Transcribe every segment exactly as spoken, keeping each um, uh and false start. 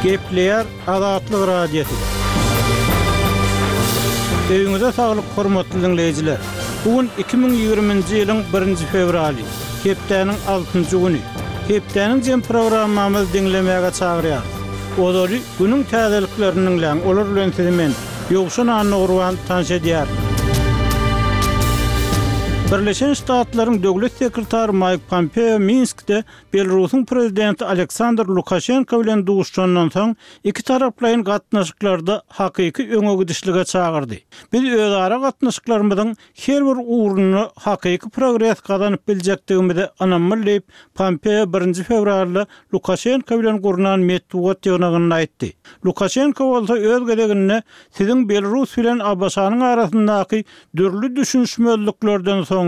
Gepleýär Azatlyk Radiosy. Öýüňize saglyk, hormatly diňleýjiler! Bu gün iki müň ýigriminji ýylyň birinji fewraly, hepdäniň altynjy güni. Hepdäniň jem programmamyzy diňlemäge çagyrýarys. Ozaly günüň täzeliklerini diňläň, olar bilen sizi men, Ýowşan Annagurban tanyş edýärin. Birleşen Ştatlaryň Döwlet sekretary Maýk Pompeo Minskde Belarusyň prezidenti Aleksandr Lukaşenko bilen duşuşandan soň, ikitaraplaýyn gatnaşyklarda hakyky öňe gidişlige çagyrdy. Biz özara gatnaşyklarymyzyň her bir ugrunda hakyky progres gazanyp biljekdigimize ynamly diýip, Pompeo birinji fewralda Lukaşenko bilen gurnan metbugat ýygnagynda aýtdy. Lukaşenko bolsa öz gezeginde siziň Belarus bilen ABŞ-nyň arasyndaky dürli düşünişmezliklerden soňra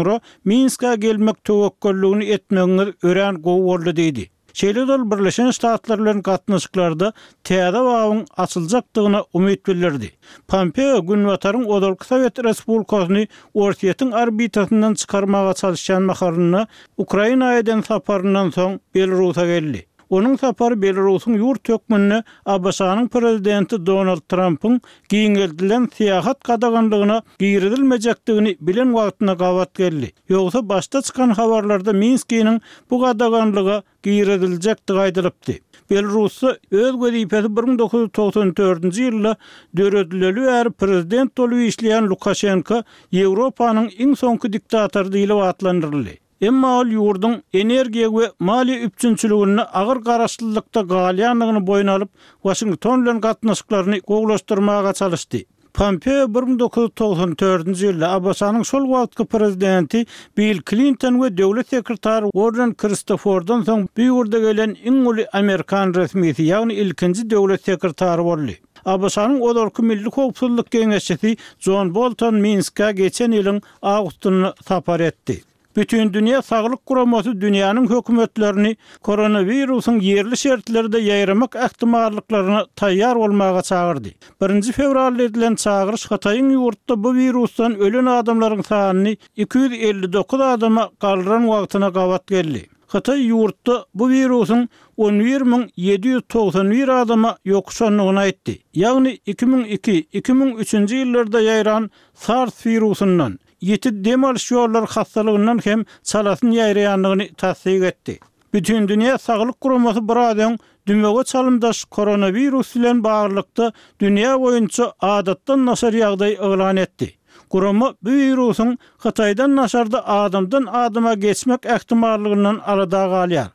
Minskä gelmek töwekgelligini etmegiňiz örän gowy boldy diýdi. Şeýle-de ol Birleşen Ştatlar bilen gatnaşyklarda täze babyň açyljakdygyna umyt bildirdi. Pompeo Günbataryň ozalky sowet respublikasyny Orsýetiň orbitasyndan çykarmaga çalyşýan mahalynda Ukraina eden saparyndan soň Belarusa geldi. Onuň sapary Belarusyň ýurt hökmünde ABŞ-nyň prezidenti Donald Trampyň giňeldilen syýahat gadaganlygyna girizilmejekdigini bilen wagtyna gabat geldi. Ýogsa başda çykan habarlarda Minskiniň bu gadaganlyga giriziljekdigi aýdylypdy. Belarusda öz wezipesi bir müň dokuz ýüz togsan dördünji ýylda döredileli bäri prezident bolup işleýän Lukaşenko Ýewropanyň iň soňky diktatory diýlip atlandyryldy. Emma ol ýurduň energiýa we maliýe üpjünçiliginde agyr garaşlylykda galýandygyny boýun alyp, Waşington bilen gatnaşyklaryny gowulaşdyrmaga çalyşdy. Pompeo bir müň dokuz ýüz togsan dördünji ýylda ABŞ-nyň şol wagtky prezidenti Bill Klinton we döwlet sekretary Warren Kristofordan soň bu ýurda gelen iň uly amerikan resmisi, ýagny ilkinji döwlet sekretary boldy. ABŞ-nyň ozalky milli howpsuzlyk geňeşçisi Jon Bolton Minskä geçen ýylyň awgustynda sapar etdi. Bütindünýä Saglyk Guramasy dünýäniň hökümetlerini koronawirusyň ýerli şertlerde ýaýramak ähtimallyklaryna taýýar bolmaga çagyrdy. Birinji fewralda edilen çagyryş Hytaýyň ýurtda bu wirusdan ölen adamlaryň sanyny iki ýüz elli dokuz adama galdyran wagtyna gabat geldi. Hytaý ýurtda bu wirusyň on bir müň ýedi ýüz togsan bir adama ýokuşandygyny aýtdy. Ýagny iki müň iki, iki müň üçünji ýyllarda ýaýran SARS wirusyndan, ýiti dem alyş ýollary hassalygyndan hem çalasyn ýaýraýandygyny tassyk etdi. Bütindünýä Saglyk Guramasy biraz öň dümewe çalymdaş koronawirus bilen baglylykda dünýä boýunça adatdan daşary ýagdaý yglan etdi. Gurama bu wirusyň Hytaýdan daşarda adamdan adama geçmek ähtimallygyndan alada galýar.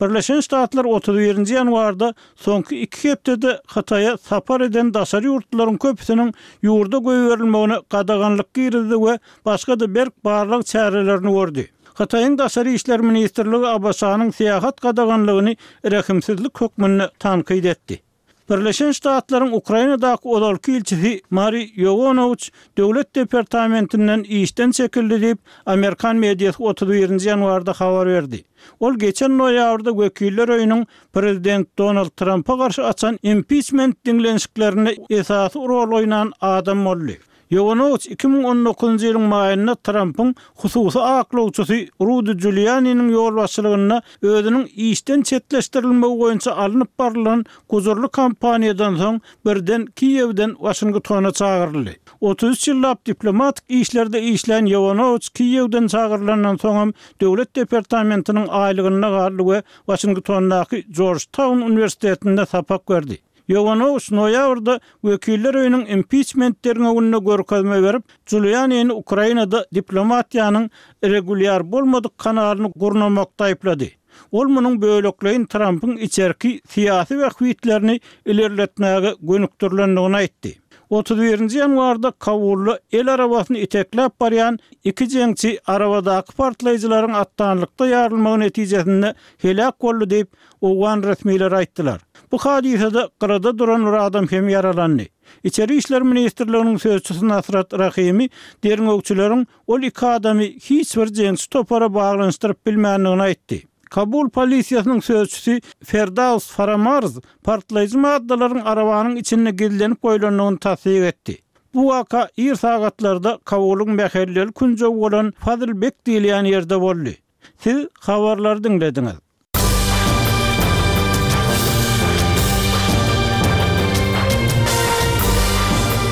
Birleşen Ştatlar otuz birinji ýanwarda soňky iki hepdede Hytaýa sapar eden daşary ýurtlularyň köpüsiniň ýurda goýberilmegine gadaganlyk girizdi we başga-da berk barlag çärelerini gördi. Hytaýyň Daşary işler ministrligi ABŞ-nyň syýahat gadaganlygyny rehimsizlik hökmünde tankyt etdi. Birleşen Ştatlaryň Ukrainadaky ozalky ilçisi Mari Ýowanowiç Döwlet departamentinden işden çekildi diýip, amerikan mediasy otuz birinji ýanwarda habar berdi. Ol geçen noýabrda Wekiller öýüniň prezident Donald Trampa garşy açan impiçment diňlenişiklerinde esasy rol oýnan adam boldy. Ýowanowiç iki müň on dokuzynjy ýylyň maýynda Trampyň hususy aklawçysy Rudy Julianiniň ýolbaşçylygynda özüniň işden çetleşdirilmegi boýunça alnyp barylan gujurly kampaniýadan soň birden Kiýewden Waşingtona çagyryldy. Otuz üç ýyllap diplomatik işlerde işlän Ýowanowiç Kiýewden çagyrylandan soňam Döwlet departamentiniň aýlygynda galdy we Waşingtondaky Jorjtaun uniwersitetinde sapak berdi. Ýowanowiç noýabrda Wekiller öýüniň impiçment derňewinde görkezme berip, Julianini Ukrainada diplomatiýanyň regulýar bolmadyk kanalyny gurnamakda aýyplady. Ol munuň bölekleýin Trampyň içerki syýasy bähbitlerini ilerletmäge gönükdirilendigini aýtdy. Otuz birinji ýanwarda Kabulda el arabasyny itekläp barýan iki jeňçi arabadaky partlaýjylaryň atdanlykda ýarylmagy netijesinde heläk boldy diýip, owgan resmileri aýtdylar. Bu hadysada gyrada duran bir adam hem ýaralandy. Içeri işler ministrliginiň sözçüsi Nasrat Rahimi derňewçileriň ol iki adamy hiç bir jeňçi topara baglanyşdyryp bilmändigini aýtdy. Kabul polisiýasynyň sözçüsi Ferdaus Faramarz partlaýjy maddalaryň arabanyň içinde gizlenip goýlandygyny tassyk etdi. Bu waka ir sagatlarda Kabulyň mähelleli künjegi bolan Fazl Bek diýilýän ýerde boldy. Siz habarlary diňlediňiz.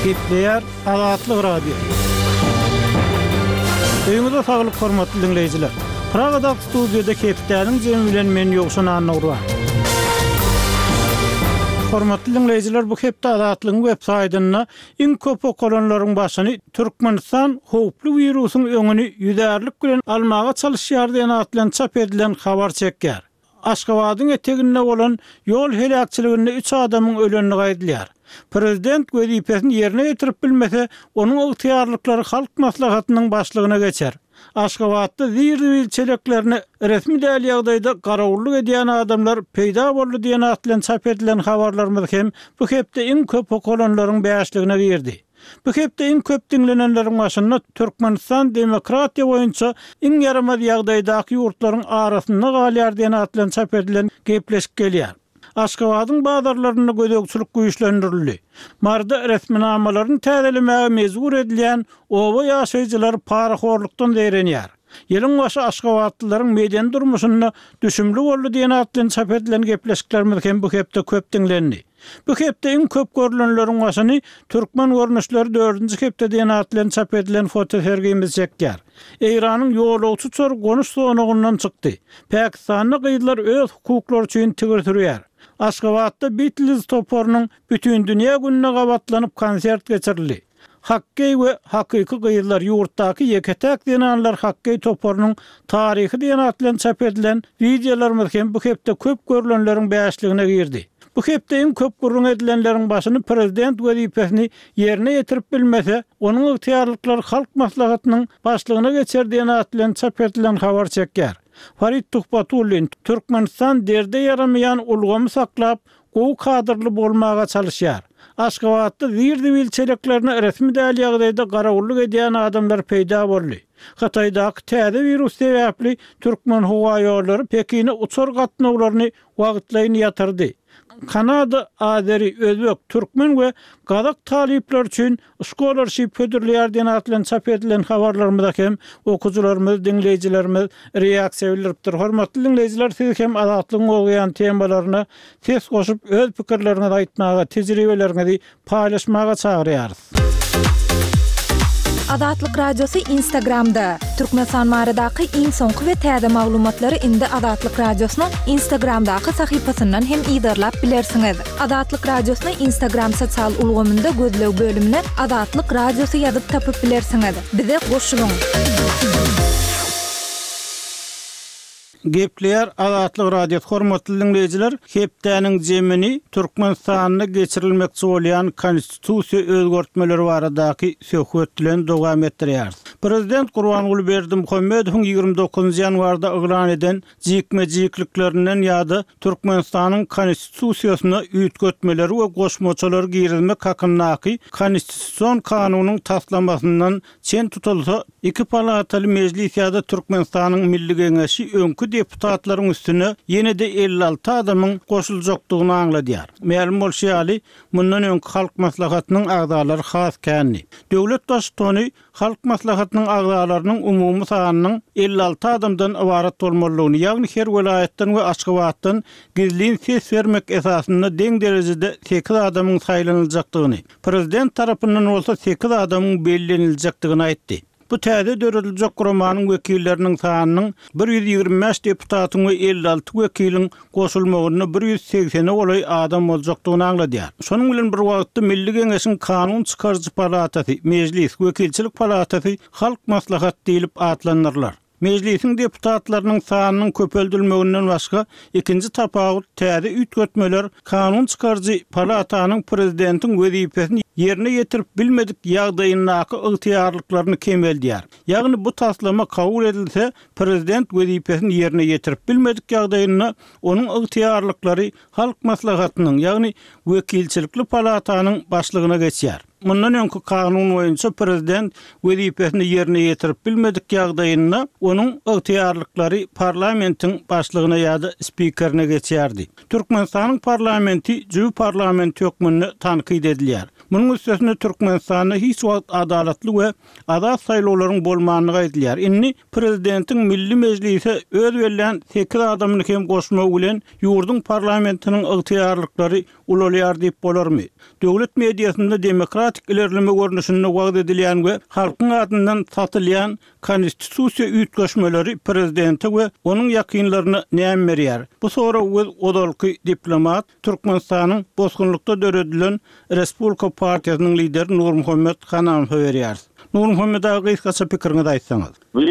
Gepleýär Azatlyk Radiosy. Öýüňize saglyk hormatly diňleýjiler. Pragadaky studiýada hepdäniň jemi bilen men Ýowşan Annagurban. Hormatly diňleýjiler, bu hepde Azatlygyň web saýtynda iň köp okalanlaryň başyny Türkmenistan howply wirusyň öňüni ýüzärlik bilen almaga çalyşýar diýen at bilen çap edilen habar çekýär. Aşgabadyň eteginde bolan ýol heläkçiliginde üç adamyň ölendigi aýdylýar. Prezident wezipesini ýerine ýetirip bilmese, onuň ygtyýarlyklary Halk Maslahatynyň başlygyna geçer. Aşgabatda zir-zibil çeleklerine resmi däl ýagdaýda garawullyk edýän adamlar peýda boldy diýen at bilen çap edilen habarlarymyz hem bu hepde iň köp okalanlaryň bäşligine girdi. Bu hepde iň köp diňlenenleriň başynda Türkmenistan demokratiýa boýunça iň ýaramaz ýagdaýdaky ýurtlaryň arasynda galýar diýen at bilen çap edilen gepleşik gelýär. Aşgabadyň bazarlarynda gözegçilik güýçlendirildi. Maryda resminamalaryny täzelemäge mejbur edilýän oba ýaşaýjylary parahorlukdan zeýrenýär. Ýylyň başy aşgabatlylaryň medeni durmuşynda düşümli boldy diýen at bilen çap edilen gepleşiklerimiz hem bu hepde köp diňlendi. Bu hepde iň köp görülenleriň başyny Türkmen görnüşleri dördünji hepde diýen at bilen çap edilen fotosergimiz çekýär. Eýranyň ýolagçy uçary gonuş zonagyndan çykdy. Pakistanda gyzlar öz hukuklary üçin tigir sürýär. Aşgabatda Beatles toparynyň Bütindünýä gününe gabatlanyp konsert geçirildi. Hokkeý we hakyky gyzlar ýurtdaky ýeke-täk zenanlar hokkeý toparynyň taryhy diýen at bilen çap edilen wideolarymyz hem bu hepde köp görülenleriň bäşligine girdi. Bu hepde iň köp gürrüň edilenleriň başyny prezident wezipesini ýerine ýetirip bilmese, onuň ygtyýarlyklary Halk Maslahatynyň başlygyna geçer diýen at bilen çap edilen habar çekýär. Farid Tuhbatullin, Türkmenistan derde ýaramaýan ulgamy saklap, gowy kadrly bolmaga çalyşýar. Aşgabatda zir-zibil çeleklerine resmi däl ýagdaýda garawullyk edýän adamlar peýda boldy. Hytaýdaky täze wirus sebäpli Türkmenhowaýollary Pekine uçar gatnawlaryny wagtlaýyn ýatyrdy. Kanada azeri, özbek, türkmen we gazak talyplary üçin scholarship hödürleýär diýen at bilen çap edilen habarlarymyza hem okyjylarymyz, diňleýjilerimiz reaksiýa bildiripdir. Hormatly diňleýjiler, siz hem Azatlygyň gozgaýan temalaryna ses goşup, öz pikirleriňizi aýtmaga, tejribeleriňizi paýlaşmaga çagyrýarys. Azatlyk Radiosy Instagramda. Türkmenistan baradaky iň soňky we täze maglumatlary indi Azatlyk Radiosynyň Instagramdaky sahypasyndan hem yzarlap bilersiňiz. Azatlyk Radiosyny Instagram sosial ulgamynda gözleg bölümine Azatlyk Radiosy ýazyp tapyp bilersiňiz. Bize goşulyň! Gepleýär Azatlyk Radiosy hormatly diňleýjiler, hepdäniň jemini Türkmenistanda geçirilmekçi bolýan konstitusiýa özgertmeleri baradaky söhbet bilen dowam etdirýäris. Prezident Gurbanguly Berdimuhamedowyň ýigrimi dokuzynjy ýanwarda yglan eden jikme-jikliklerinden ýa-da Türkmenistanyň konstitusiýasyna üýtgetmeleri we goşmaçalary girizmek hakyndaky konstitusion kanunyň taslamasyndan çen tutulsa, iki palataly mejlis ýa-da Türkmenistanyň Milli Geňeşi öňki deputatlaryň üstüne ýene-de elli alty adamyň goşuljakdygyny aňladýar. Mälim bolşy ýaly, mundan öňki Halk Maslahatynyň agzalary has kändi. Döwlet Baştutany Halk Maslahatynyň agzalarynyň umumy sanynyň elli alty adamdan ybarat bolmalydygyny, ýagny her welaýatdan we Aşgabatdan gizlin ses bermek esasynda deň derejede sekiz adamyň saýlanyljakdygyny, prezident tarapyndan bolsa sekiz adamyň belleniljekdigini aýtdy. Bu täze dörediljek guramanyň wekilleriniň sanynyň bir ýüz ýigrimi bäş deputatyň we elli alty wekiliň goşulmagynda bir ýüz segsene golaý adam boljakdygyny aňladýar. Şonuň bilen bir wagtda Milli Geňeşiň Kanun çykaryjy palatasy, Mejlis, Wekilçilik palatasy Halk Maslahat diýlip atlandyrylar. Mejlisiň deputatlarynyň sanynyň köpeldilmeginden başga ikinji tapawut täze üýtgetmeler Kanun çykaryjy palatanyň prezidentiň wezipesini ýerine ýetirip bilmedik ýagdaýyndaky ygtyýarlyklaryny kemeldýär. Ýagny bu taslama kabul edilse, prezident wezipesini ýerine ýetirip bilmedik ýagdaýynda onuň ygtyýarlyklary Halk Maslahatynyň, ýagny wekilçilikli palatanyň başlygyna geçýär. Mundan öňki kanun boýunça prezident wezipesini ýerine ýetirip bilmedik ýagdaýynda onuň ygtyýarlyklary parlamentiň başlygyna ýa-da spikerine geçýärdi. Türkmenistanyň parlamenti jübi parlament hökmünde tankyt edilýär. Munuň üstesine Türkmenistanda hiç wagt adalatly we azat saýlawlaryň bolmandygy aýdylýar. Indi prezidentiň Milli Mejlise öz bellän sekiz adamyny hem goşmagy bilen ýurduň parlamentiniň ygtyýarlyklary ulalýar diýip bolarmy? Döwlet mediasynda demokratik ilerleme görnüşinde wagyz edilýän we halkyň adyndan satylýan konstitusiýa üýtgeşmeleri prezidente we onuň ýakynlaryna näme berýär? Bu soragy biz ozalky diplomat, Türkmenistanyň bosgunlykda döredilen Respublika partiýasynyň lideri Nurmuhammet Hanamowa berýäris. Nurmuhammet aga, gysgaça pikiriňizi aýtsaňyz. Bu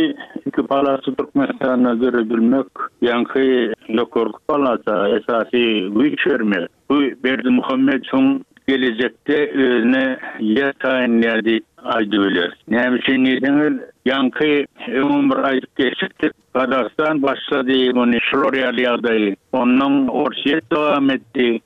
iki palata Türkmenistanda döredilmek, ýaňky ýokarky palata esasy güýç bermek. Bu Berdimuhamedowyň gelejekde özüne ýer taýynlaýar diýip aýdyp bileris. Näme üçin diýseňiz, ýaňky öňüm bir aýdyp geçipdik, Gazagystan başlady muny şular ýaly ýagdaýy. Ondan Orsýet dowam etdi.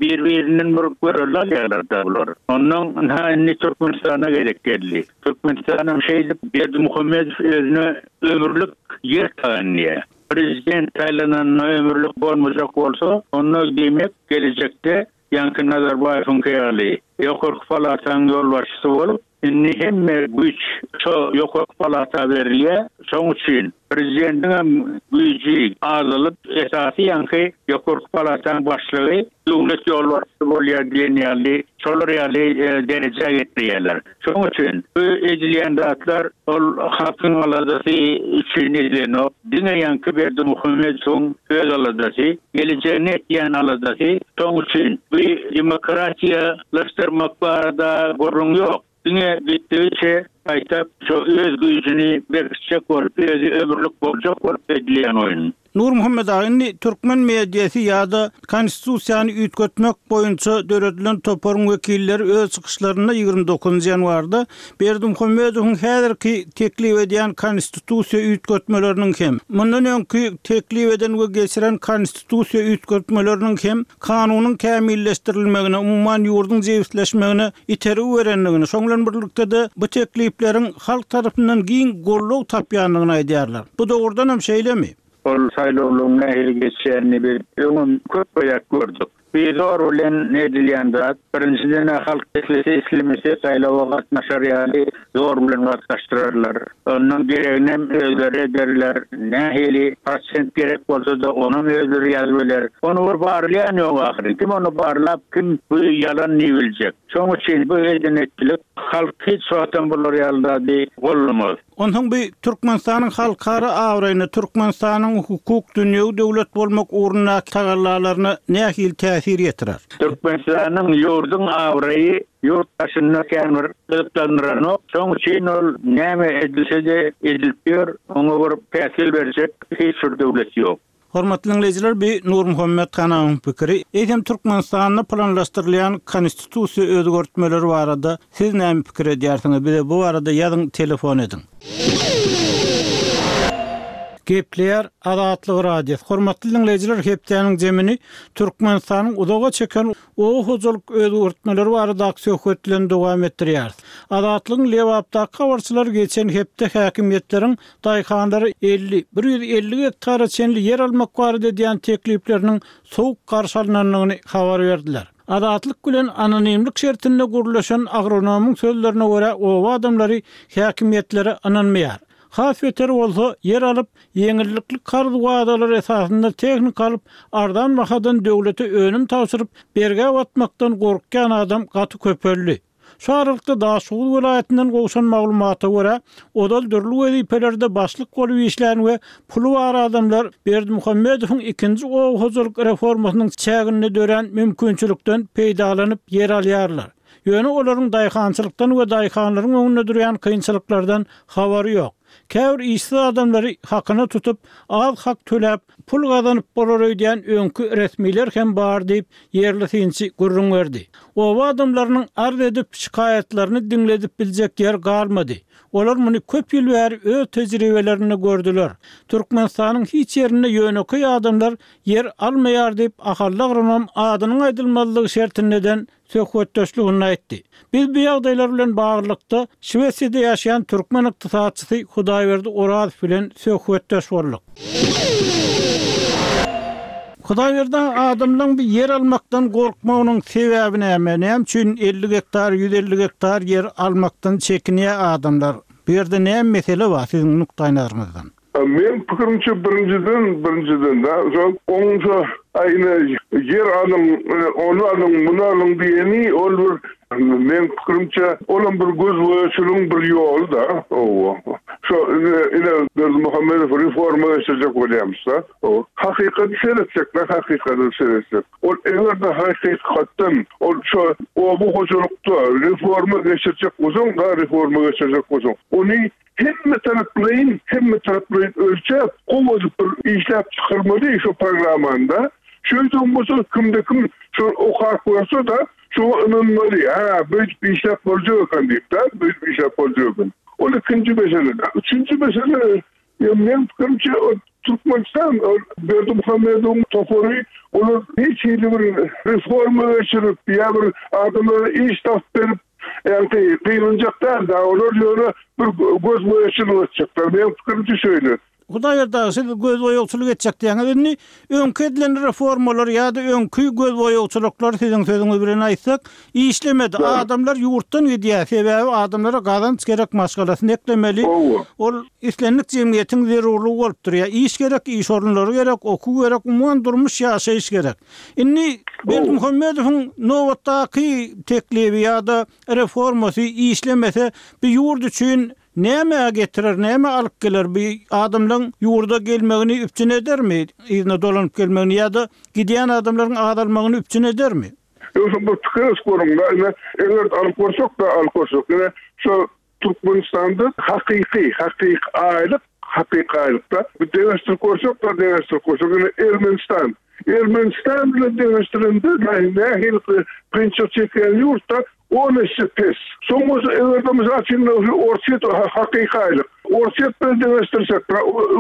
Bir-birinden bir görelde alýarlar-da bular. Ondan ynha indi Türkmenistana gezek geldi. Türkmenistanam şeýdip Berdimuhamedow özüne ömürlik ýer taýynlaýar. Prezident saýlananda ömürlik bolmajak bolsa, onda diýmek gelejekde ýaňky Nazarbaýewiň ýaly ýokarky palatanyň ýolbaşçysy bolup, indi hemme güýç şo ýokarky palata berilýär. Şonuň üçin prezidentiň hem güýji azalyp, esasy ýaňky ýokarky palatanyň başlygy döwlet ýolbaşçysy bolýar diýen ýaly, şolar ýaly derejä getirýärler. Şonuň üçin bu edilýän zatlar ol halkyň aladasy üçin edilenok. Diňe ýaňky Berdimuhamedowyň öz aladasy, gelejegini etýän aladasy. Şonuň üçin bu demokratiýalaşdyrmak barada gürrüň ýok. Diňe gitdigiçe gaýtap şo öz güýjüni berkitjek bolup, özi ömürlik boljak bolup edilýän oýun. Nurmuhammet aga, indi türkmen mediasy ýa-da konstitusiýany üýtgetmek boýunça döredilen toparyň wekilleri öz çykyşlarynda ýigrimi dokuzynjy ýanwarda Berdimuhamedowyň häzirki teklip edýän konstitusiýa üýtgetmeleriniň hem, mundan öňki teklip eden we geçiren konstitusiýa üýtgetmeleriniň hem kanunyň kämilleşdirilmegine, umuman ýurduň jebisleşmegine itergi berendigini, şoň bilen birlikde-de bu teklipleriň halk tarapyndan giň goldaw tapýandygyny aýdýarlar. Bu dogrudan hem şeýlemi? Ol saýlawlaryň nähili geçýänini biz öňem köp gezek gördük. Bir zor bilen edilýän zat, birinjiden halk islese islemese saýlawa gatnaşar ýaly zor bilen gatnaşdyrarlar. Ondan gereginem özleri ederler. Nähili prosent gerek bolsa-da onam özleri ýazyp biler. Ony bir barlaýan ýok ahyry. Kim ony barlap, kim bu ýalan diýip biljek? Şonuň üçin bu edenetçilik halk hiç wagtam bular ýaly zady gollamaz. Onsoň bu Türkmenistanyň halkara abraýyna, Türkmenistanyň hukuk dünýewi döwlet bolmak ugrundaky tagallalaryna nähili täsir ýetirer? Türkmenistanyň ýurduň abraýy ýurt daşynda kän bir gyzyklandyranok. Şonuň üçin ol näme edilse-de edilip ýör, oňa bir täsir berjek hiç bir döwlet ýok. Hormatly dinleýjiler, bu Nurmuhammet Hanamowyň pikiri. Eýsem Türkmenistanda planlaşdyrylýan konstitusiýa özgertmeleri barada siz näme pikir edýärsiňiz? Bize bu barada ýazyň, telefon ediň. Gepleýär Azatlyk Radiosy. Hormatly dinleýjiler, hepdäniň jemini Türkmenistanyň uzaga çeken oba hojalyk özgertmeleri baradaky söhbet bilen dowam etdirýäris. Azatlygyň Lebapdaky habarçylary geçen hepde häkimiýetleriň daýhanlara elli, bir ýüz elli gektara çenli ýer almak barada edýän teklipleriniň sowuk garşy alynandygyny habar berdiler. Azatlyk bilen anonimlik şertinde gurlaşan agronomyň sözlerine görä oba adamlary häkimiýetlere ynanmaýar. Has beter bolsa ýer alyp, ýeňillikli karz wadalary esasynda tehnika alyp, arzan bahadan döwlete önüm tabşyryp, bergä batmakdan gorkýan adam gaty köpeldi. Şu aralykda Daşoguz welaýatyndan gowşan maglumata görä, ozal dürli wezipelerde başlyk bolup işlän we puly bar adamlar Berdimuhamedowyň ikinji oba hojalyk reformasynyň çäginde dörän mümkinçilikden peýdalanyp ýer alýarlar. Ýöne olaryň daýhançylykdan we daýhanlaryň öňünde durýan kynçylyklardan habary ýok. Käbir işsiz adamlary hakyna tutup, az hak töläp, pul gazanyp bolar öýdýän öňki resmiler hem bar diýip, ýerli synçy gürrüň berdi. Oba adamlarynyň arz edip şikaýatlaryny diňledip biljek ýer galmady. Olar muny köp ýyl bäri öz tejribelerinde gördüler. Türkmenistanyň hiç ýerinde ýönekeý adamlar ýer almaýar diýip, ahally agronom adynyň aýdylmazlygy şertindeden söhbetdeşligini aýtdy. Biz bu ýagdaýlar bilen baglylykda Şwesiýada ýaşaýan türkmen ykdysatçysy Hudaýberdi Orazow bilen söhbetdeş bolduk. Hudaýberdi adamlaryň bir ýer almakdan gorkmagynyň sebäbi näme? Näme üçin elli gektar, ýüz elli gektar ýer almakdan çekinýär adamlar? Bu ýerde näme mesele bar siziň nukdaýnazaryňyzdan? Men pikirimçe birinjiden, birinjiden da, şol oňça aýna ýer alyň, ony alyň, muny alyň diýeni ol bir men pikirimçe olam bir göz boýaçylygyň bir ýoly da. Owa. Şo ine Berdimuhamedow reforma geçirjek bolýarmyş-da. O hakykaty seretjek, hakykady seretjek. Ol eger de hakykatdan ol şo oba hojalykda reforma geçirjek bolsaň, da reforma geçirjek bolsaň, ony hemme taraplaýyn, hemme taraplaýyn ölçäp, gowy bir işläp çykarmaly şu programmanda. Şöyle bolsa kimde kim şu okap görse da şu ynanmaly, ha, böyle bir işläp boljak eken diýip da, böyle bir işläp boljak eken. Ol ikinji mesele. Üçünji mesele, ya men pikirimçe o Türkmenistan, o Berdimuhamedow'un topary, olar hiç hili bir reforma geçirip, ya bir adamlara iş tapıp berip, yani kıyılacak däl da, olar ýöne bir göz boýaçylyk etjekler. Men pikirimçe şöyle. Hudaýberdi siz göz boýagçylyk etjek diýäňiz. Indi öňki edilen reformalar ýa-da öňki göz boýagçylyklar siziň sözüňiz bilen aýtsak, işlemedi. Adamlar ýurtdan gidýär. Sebäbi adamlara gazanç gerek, maşgalasyny eklemeli. Ol islendik jemgyýetiň zerurlygy bolup durýar. Iş gerek, iş orunlary gerek, okuw gerek, umuman durmuş ýaşaýyş gerek. Indi Berdimuhamedowyň nobatdaky teklibi ýa-da reformasy işlemese, bir ýurt üçin näme getirer, näme alyp geler? Bir adamlaryň ýurda gelmegini üpjün edermi? Yzyna dolanyp gelmegini ýa-da gidýän adamlaryň azalmagyny üpjün edermi? Ýogsa bu pikir görüň, ine, eger alyp görsek da alyp görsek, ine, şu Türkmenistanda hakyky, hakyky aýlyk, hakyky aýlykda bir deňeşdirip görsek da deňeşdirip görsek, ine, Ermenistan. Ermenistan bilen deňeşdirende nähili kynçylyk çekýän ýurtda on esse pes. Soň bolsa eger de mysal üçin Orsýet hakyky aýlyk. Orsýet bilen deňeşdirsek,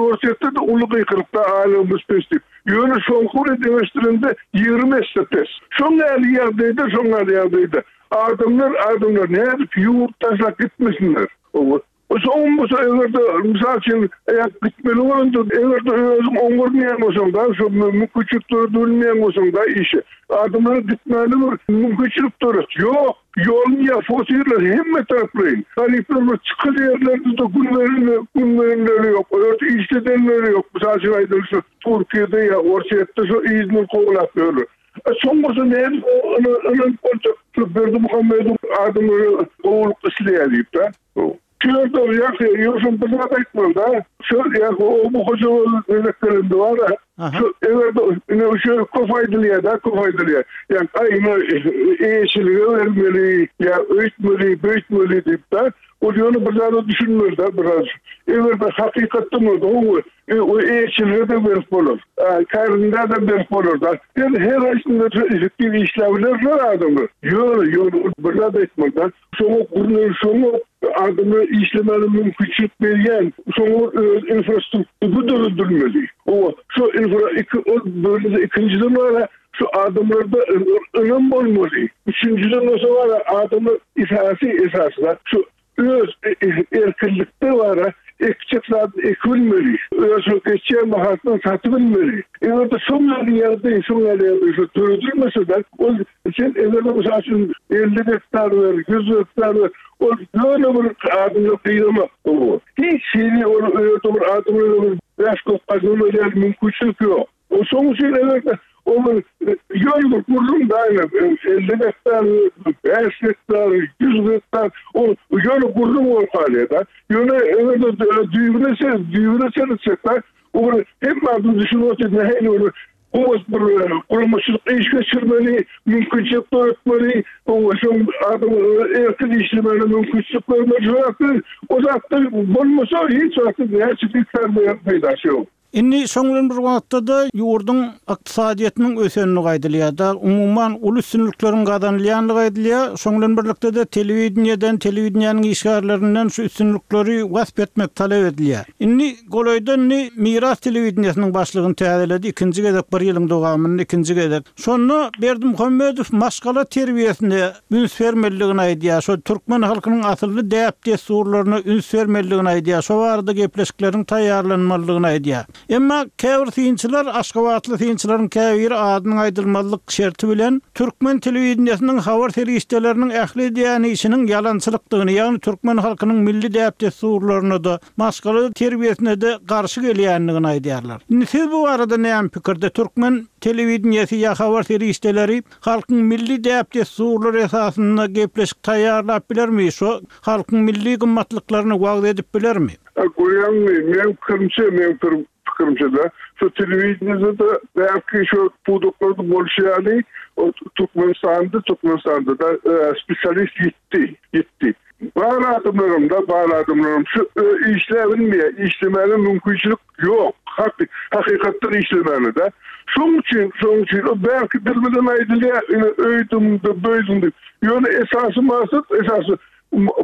Orsýetde de uly gyýkylykda aýlygymyz pes diýip. Ýöne soňky bilen deňeşdirende ýigrimi esse pes. Şoň ýaly ýagdaýda, şoň ýaly ýagdaýda adamlar, adamlar nädip ýurt taşlap gitmesinler? O soň bolsa eger de mysal üçin eğer gitmeli bolanda, eger de özüň oňurmaýan bolsaň da, şo mümkinçilik döredilmeýän bolsaň da işi. Adamlara gitmäli bir mümkinçilik döret. Ýok, ýolun ýa fosirler hemme taraplaýyn. Garyplar bir çykyl ýerlerde de gün verilme, gün verenleri ýok. Olarda işledenleri ýok. Mysal üçin aýdaly şu Türkiýede ýa Orsýetde şu yzyny kowlap ýörler. E, soň bolsa nädip ynanyp boljak? Şu Berdimuhamedow adamlary gowulyk isleýär diýip da. Şu ýerde ýa ýogsam bir zat aýtmaly da. Şu ýa o bu hojalyk gezeklerinde bar. Şu eger de ine şu köp aýdylýar da, köp aýdylýar. Ýa aýna eýeçilige bermeli, ýa öýtmeli, böýtmeli diýip da. Ol ýöne bir zada düşünmeli da biraz. Eger de hakykatdan bolsa, o o eýeçilige de berip bolar. Kärinde de berip bolar da. Her her aýsynda effektiw işläbilerler adamlar. Ýöne, ýöne bir zat aýtmaly da. Şoňa gurnaly, şoňa adamlar işlemäne mümkinçilik berýän, şoňa öz infrastruktury döredilmeli. O şu infra iki ol bölümde ikinjiden bara şu adamlarda ynam bolmaly. Üçüncüden bolsa bara adamlar esasy esasy şu öz erkinlikde bara ekjek zat ekilmeli. Öz geçýän bahasyna satyp bilmeli. Eger de şoň ýaly ýagdaý, şoň ýaly ýagdaý şu döredilmese de, ol sen eger de mysal üçin elli gektar ber, ýüz gektar ber, ol ýöne bir adamlar gyýramak. Hiç hili ol öýde bir adamlar bir bäş kök gazanma ýaly mümkinçilik ýok. O şoň üçin eger de o bir ýöne bir gürrüň daýna, elli gektar, bäş gektar, ýüz gektar, o ýöne gürrüň bolup galýar da. Ýöne eger de düýbüne sen, düýbüne sen da, o bir hemme adam düşünip otyr, nähili bir gowy bir guramaçylyk iş geçirmeli, mümkinçilik döretmeli, o şoň adamlara erkin işlemeli mümkinçilik bermeli. Şu zatlar, o zatlar bolmasa hiç wagt näçe gektar peýdasy ýok. Indi şoň bilen bir wagtda da ýurduň ykdysadyýetiniň ösenligi aýdylýar da, umuman uly üstünlikleriň gazanylýanlygy aýdylýar. Şoň bilen birlikde de telewideniýeden, telewideniýanyň işgärlerinden şu üstünlikleri wasp etmek talap edilýär. Indi golaýda indi Miras telewideniýesiniň başlygyny täzeledi, ikinji gezek bir ýylyň dowamynda ikinji gezek. Şonda Berdimuhamedow maşgala terbiýesine üns bermeliligini aýdýar. Şo türkmen halkynyň asylly däp-dessurlaryna üns bermeliligini aýdýar. Şo barada gepleşikleriň taýýarlanmalydygyny aýdýar. Emma käbir synçylar, Aşgabatly synçylaryň käbiri adynyň aýdylmazlyk şerti bilen türkmen telewideniýesiniň habar serişdeleriniň ähli edýän işiniň ýalançylykdygyny, ýagny türkmen halkynyň milli däp-dessurlaryna-da, maşgala terbiýesine-de garşy gelýändigini aýdýarlar. Indi siz bu barada näme pikirde? Türkmen telewideniýesi ýa habar serişdeleri halkyň milli däp-dessurlary esasynda gepleşik taýýarlap bilermi? Şo halkyň milli gymmatlyklaryny wagyz edip bilermi? Görýäňmi, meň pikirimçe, meň pikirimçe-de, şu telewideniýede belki şu pudaklarda bolşy ýaly, o Türkmenistanda, Türkmenistanda-da spesialist ýetdi, ýetdi. Bar adamlarym da, bar adamlarym şu işläbilmeýär, işlemäge mümkinçilik ýok. Hakykatdan işlemäne de. Şoň üçin, şoň üçin o belki dil bilen aýdylýar, ine öýdüm-de, böýdüm diýip. Ýöne esasy maksat, esasy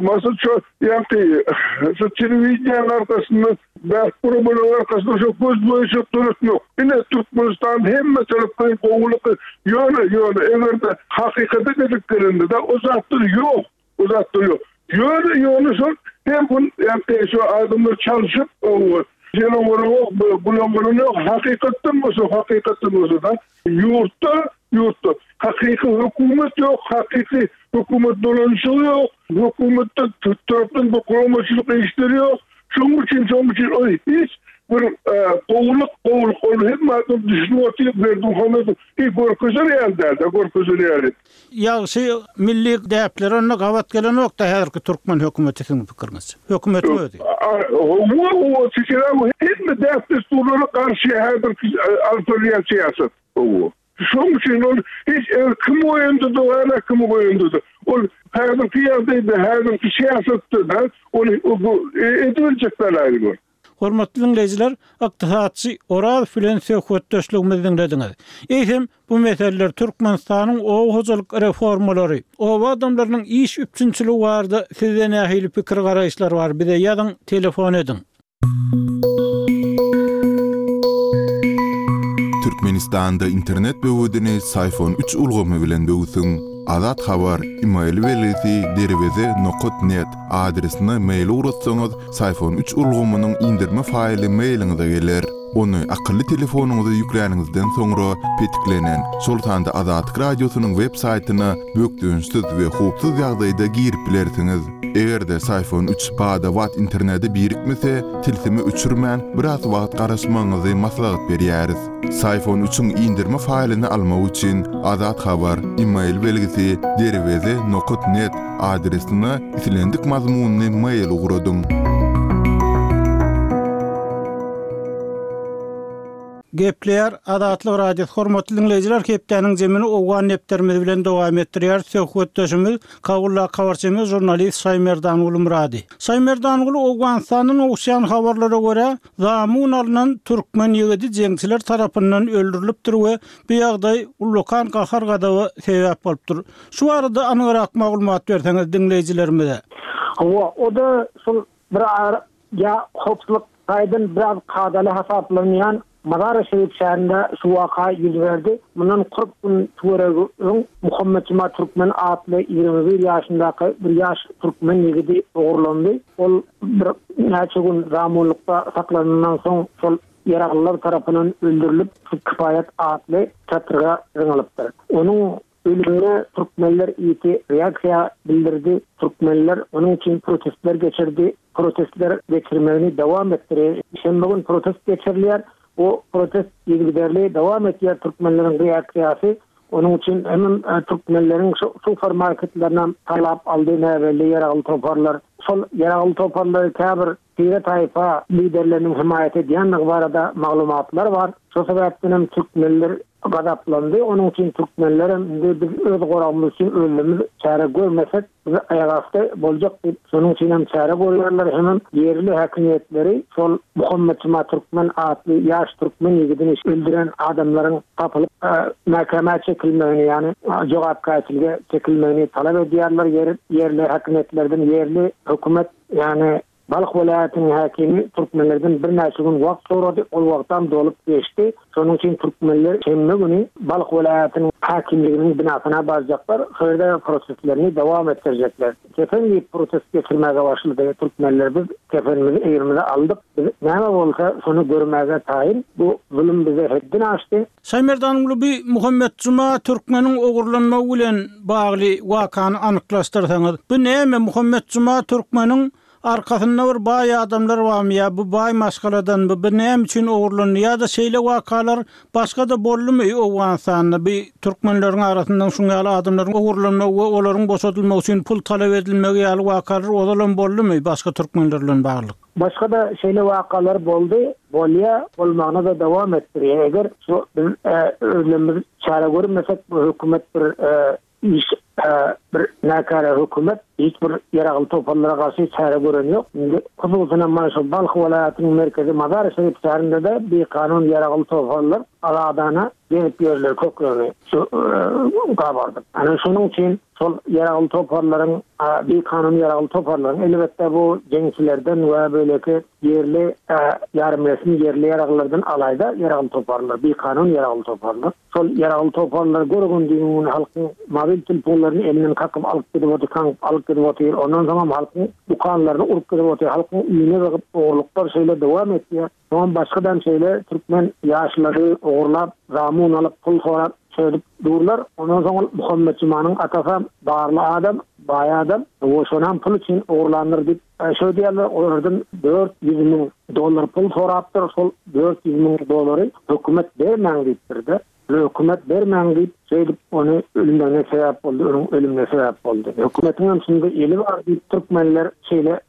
maksat şu, ýagny şu telewideniýäniň arkasynda, belki guramalaryň arkasynda şu göz boýunça döretmek. Ine Türkmenistan hemme tarapdan gowulyk, ýöne, ýöne eger-de hakykata gelip gelende-de o zatlar ýok. O zatlar ýok. Ýöne, ýöne şol hem bu, ýagny şu adamlar çalışyp, o Ýöne ýok, bulan ýok. Hakykatdan bolsa, hakykatdan bolsa da ýurtda, ýurtda hakyky hökümet ýok, hakyky hökümet dolanyşygy ýok, hökümetde tarapdan bu guramaçylyk işleri ýok. Şonuň üçin, şonuň üçin o hiç bir gowulyk, gowulyk ol hem adam düşünip otyr, Berdimuhamedow hiç görkezer ýaly däl-de, görkezer ýaly. Ýagşy milli däpler onda gabat gelenok da häzirki türkmen hökümeti siziň pikiriňizçe? Hökümetiň özi. Hawa, hawa, hemme däp-dessurlara garşy häzirki alyp barýan syýasat. Hawa. Şonuň üçin ol hiç eger kim goýanda da, hala kim goýanda da, ol häzirki ýagdaýda, häzirki syýasatda da ol edibiljek belaýy bu. Hormatly dinleýjiler, ykdysatçy Oraz bilen söhbetdeşligimizi dinlediňiz. Eýsem, bu meseleler Türkmenistanyň oba hojalyk reformalary, oba adamlarynyň iş üpjünçiligi barada sizde nähili pikir garaýyşlar bar? Bize ýazyň, telefon ediň. Türkmenistanda internet böwedini Syfon üç ulgamy bilen böwsüň. Azat Habar, e-mail belgisi derweze nokat net adresine mail ugratsaňyz, Syfon üç ulgamynyň indirme faýly mailiňize geler. Ony akylly telefonyňyza ýükläniňizden soňra petiklenen, şol sanda Azatlyk radiosynyň web saýtyna bökdençsiz we howpsuz ýagdaýda girip bilersiňiz. Eger-de Syfon üç bada-bat internete birikmese, tilsimi öçürmän biraz wagt garaşmagyňyzy maslahat berýäris. Syfon üçiň indirme faýlyny almak üçin Azat Habar, e-mail belgisi derweze nokat net adresine islendik mazmunyny mail ugradyň. Gepleýär Azatlyk Radiosy hormatly dinleýjiler, hepdäniň zemini Owgan nepterimiz bilen dowam etdirýär. Söhbetdeşimiz Kabulla habarçymyz žurnalist Şaýmerdanguly Murady. Şaýmerdanguly Owganystandan gowuşýan habarlara görä, zamun alynan türkmen ýigidi jeňçiler tarapyndan öldürilipdir we bu ýagdaý ullakan gahar gazaba sebäp bolupdyr. Şu arada anygyrak maglumat berseňiz dinleýjilerimize. Hawa, o da şol bir ara ýa howpsuzlyk taýdan biraz kadaly hasaplanýan Mazar-ı Şerif şäherinde şu waka ýüz berdi. Mundan kyrk gün töweregi öň Muhammet Juma Türkmen atly ýigrimi bir ýaşyndaky bir ýaş türkmen ýigidi ogurlandy. Ol bir näçe gün zamunlykda saklanandan soň şol ýaraglylar tarapyndan öldürilip, şu Kifaýat atly çatryga zyňylypdyr. Onuň ölümine türkmenler ýiti reaksiýa bildirdi. Türkmenler onuň üçin protestler geçirdi. Protestler geçirmegini dowam etdirdi. Şenbe gün protest geçirilýär. O protest yzygiderli dowam etýär türkmenleriň reaksiýasy. Onuň üçin hem, e, türkmenleriň şu supermarketlerinden talap aldy näbelli ýaragly toparlar. Şol ýaragly toparlary käbir tire taýfa liderleriniň himaýat edýändigi barada maglumatlar bar. Şo sebäpden hem türkmenler gazaplandy. Onuň üçin türkmenler hem indi biz öz goragymyz üçin özümiz çäre görmesek, biz aýagasty boljak diýip, şonuň üçin hem çäre görýärler. Hem ýerli häkimiýetleri şol Muhammet Juma Türkmen atly ýaş türkmen ýigidini öldüren adamlaryň tapylyp, e, mahkeme çekilmegini, ýagny jogapkärçilige çekilmegini talap edýärler. Ýer, ýerli häkimiýetlerden ýerli hökümet, ýagny Balh welaýatynyň häkimi türkmenlerden birnäçe gün wagt sorady. Ol wagtam dolup geçdi. Şonuň üçin türkmenler şenbe güni Balh welaýatynyň häkimliginiň binasyna barjaklar, şo ýerde protestlerini dowam etdirjekler. Kefen diýip protest geçirmäge başlady türkmenler. Biz kefenimizi egrimize aldyk. Biz näme bolsa şony görmäge taýyn. Bu zulum bize hetden aşdy. Şaýmerdan bi Muhammet Juma türkmeniň ogurlanmagy bilen bagly wakany anyklaşdyrsaňyz. Bu näme Muhammet Juma türkmeniň arkasynda bir baý adamlar barmy ýa bu baý maşgaladan bu, bu näme üçin ogurlandy ýa-da şeýle wakalar başga-da boldumy Owganystanda bi türkmenleriň arasyndan şuň ýaly adamlaryň ogurlanmagy we olaryň boşadylmagy üçin pul talap edilmegi ýaly wakalar ozalam boldumy başga türkmenler bilen bagly? Başga da şeýle wakalar boldy, bolýa, bolmagyna da dowam etdirýär. Eger şu biz e, özlerimiz çäre görmesek bu hökümet bir e, iş e, bir näkara hökümet hiç bir ýaragly toparlara garşy çäre gören ýok. Indi hususan mana şu Balh welaýatynyň merkezi Mazar Şerif şäherinde de bir kanun ýaragly toparlar aladana gezip ýörler köklerini şu e, gabardyp. Ana şonuň üçin şol ýaragly toparlaryň bir kanun ýaragly toparlaryň elbetde bu jeňçilerden we beýleki ýerli e, ýarym resmi ýerli ýaraglardan alayda ýaragly toparlar, bir kanun ýaragly toparlar. Şol ýaragly toparlar görgün diýen halkyň mobil telefonlaryny elinden kakyp alyp gidip otyr, kakyp alyp gidip otyr. Ondan soň hem halkyň dükanlaryny urup gidip otyr, halkyň üýüne bakyp ogurluklar şeýle dowam etýär. Soň başgadan şeýle türkmen ýaşlary ogurlap, zamun alyp, pul sorap şeýdip durlar. Ondan soň Muhammet Jumanyň atasy barly adam, baý adam, o şonam pul üçin ogurlandyr diýip şo diýerler, olardan dört ýüz müň dollar pul sorapdyr. Şol dört ýüz müň dollary hökümet bermäň diýipdir-de. Hökümet bermäň diýip, şeýdip ony ölümine sebäp boldy, onuň ölümine sebäp boldy. Hökümetiň hem şunda eli bar diýip türkmenler şeýle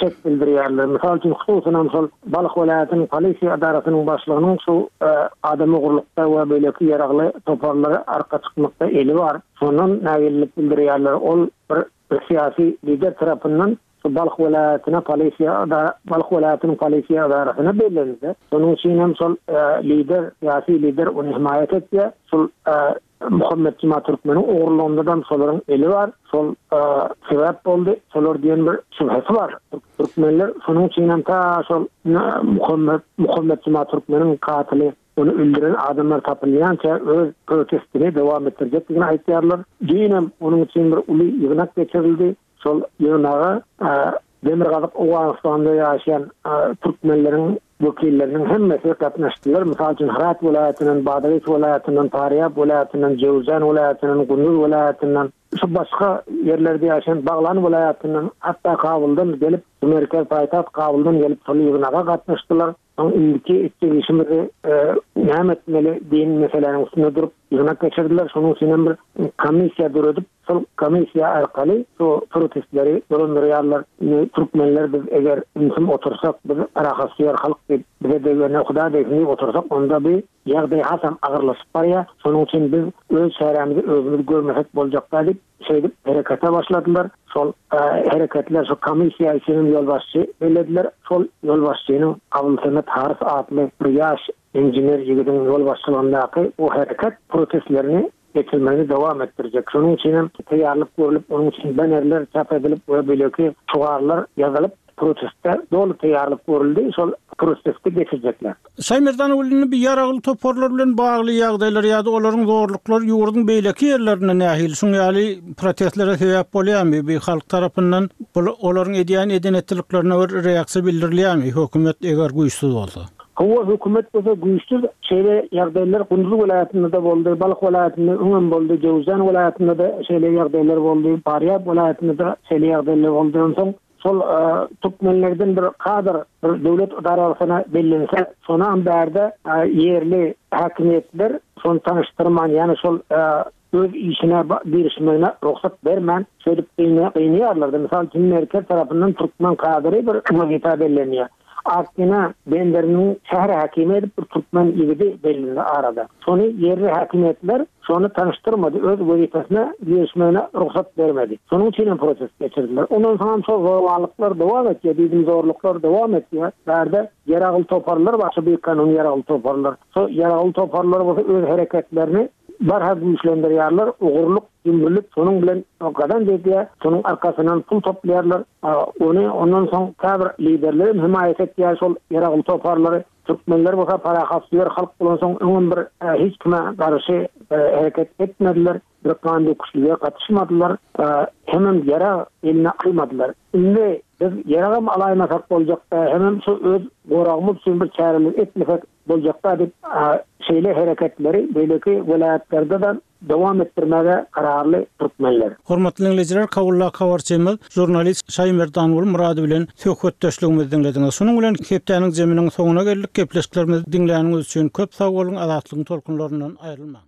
şek bildirýärler. Mysal üçin hususan şol Balh welaýatynyň polisiýa edarasynyň başlygynyň şu e, adam ogurlukda we beýleki ýaragly toparlara arka çykmakda eli bar. Şondan nägillik bildirýärler. Ol bir, bir syýasy lider tarapyndan şu Balh welaýatyna polisiýa edara, Balh welaýatynyň polisiýa edarasyna bellendi. Şonuň üçin hem şol e, lider, syýasy lider ony himaýat etdi. Şol e, Muhammet Juma Türkmeniň ogurlygynda şolaryň eli bar. Şol e, sebäp boldy. Şolar diýen bir şübhesi bar. Türkmenler şonuň üçin hem ta şol Muhammet Muhammet Juma Türkmeniň katyly ony öldüren adamlar tapylýança öz protestini dowam etdirjekdigini aýtýarlar. Düýn onuň üçin bir uly ýygnak geçirildi. Şol ýygnaga e, Demirgazyk Owganystanda ýaşaýan e, türkmenleriň wekilleriniň hemmesi gatnaşdylar. Mysal üçin Herat welaýatyndan, Badagys welaýatyndan, Farýab welaýatyndan, Jowzjan welaýatyndan, Gunduz welaýatyndan, şu başga ýerlerde ýaşaýan Baglan welaýatyndan, hatda Kabuldan gelip, merkez paýtagt Kabuldan gelip şol ýygnaga gatnaşdylar. Soň indiki etjek işimizi e, näme etmeli diýen meseläniň üstünde durup ýygnak geçirdiler. Şonuň üçin hem bir komissiýa döredip, şol komissiýa arkaly şu protestleri dolandyrýarlar. Indi türkmenler biz eger ümsüm otursak, biz rahatsyýar halk diýip, bize degene Huda degsin diýip otursak, onda bir ýagdaý hasam agyrlaşyp barýar. Şonuň üçin biz öz çärämizi özümiz görmesek boljakda diýip, şeýdip herekete başladylar. Şol e, hereketler şu komissiýa üçin ýolbaşçy bellediler. Şol ýolbaşçynyň Abulsemet Haris atly bir ýaş inžener ýigidiň ýolbaşçylygyndaky bu hereket protestlerini geçirmegini dowam etdirjek. Şonuň üçin hem taýýarlyk görülip, onuň üçin banerler çap edilip we beýleki şygarlar ýazylyp protestde doly taýýarlyk görüldi. Şol protesti geçirjekler. Şaýmerdan ogluny bir ýaragly toparlar bilen bagly ýagdaýlar ýa-da olaryň zorluklary ýurduň beýleki ýerlerinde nähili şuň ýaly protestlere sebäp bolýarmy? Bir halk tarapyndan olaryň edýän edenetliklerine bir reaksiýa bildirilýärmi? Hökümet eger güýçsüz bolsa. Hawa hökümet bolsa güýçsüz, şeýle ýagdaýlar Gunduz welaýatynda da boldy, Balh welaýatynda öňem boldy, Jowzjan welaýatynda da şeýle ýagdaýlar boldy, Farýab welaýatynda da şeýle ýagdaýlar boldy. Onsoň şol e, türkmenlerden bir kadr bir döwlet edarasyna bellense, şona bärde e, ýerli häkimiýetler şony tanyşdyrman, ýani şol e, öz işine girişmegine rugsat bermän, şeýdip gynaýarlar. Mysal üçin merkez tarapyndan türkmen kadry bir wezipe bellenýär. Akgina benderiniň şäher häkimi edip bir türkmen ýigidi bellendi arada. Şony ýerli häkimiýetler şony tanyşdyrmady, öz wezipesine girişmegine rugsat bermedi. Şonuň üçin hem protest geçirdiler. Ondan soň şol zorluklar dowam etýär, diýdim zorluklar dowam etýär. Bärde ýaragly toparlar, başga bir kanun ýaragly toparlar. Şo ýaragly toparlar bolsa öz hereketlerini barha güýçlendirýärler, ogurlyk, ýumrulyk şonuň bilen gazanç edýär, şonuň arkasyndan pul toplaýarlar. Ony ondan soň käbir liderler hem hemaýat etýär şol ýaragly toparlary. Türkmenler bolsa parahatsöýer halk bolansoň öňem bir hiç kime garşy hereket etmediler, bir gan döküşlige gatyşmadylar, hemem ýarag eline almadylar. Indi biz ýaragam alaýmasak boljakda, hemem şu öz goragymyz üçin bir çäreler etmesek boljakda diýip, şeýle hereketleri beýleki welaýatlarda-da dowam etdirmäge kararly türkmenler. Hormatly diňleýjiler, Kabuldaky habarçymyz, žurnalist Şaýmerdanguly Murady bilen söhbetdeşligimizi diňlediňiz. Şunuň bilen hepdäniň zeminiň soňuna geldik. Gepleşiklerimizi diňläniňiz üçin köp sag boluň, Azatlygyň tolkunlaryndan aýrylmaň.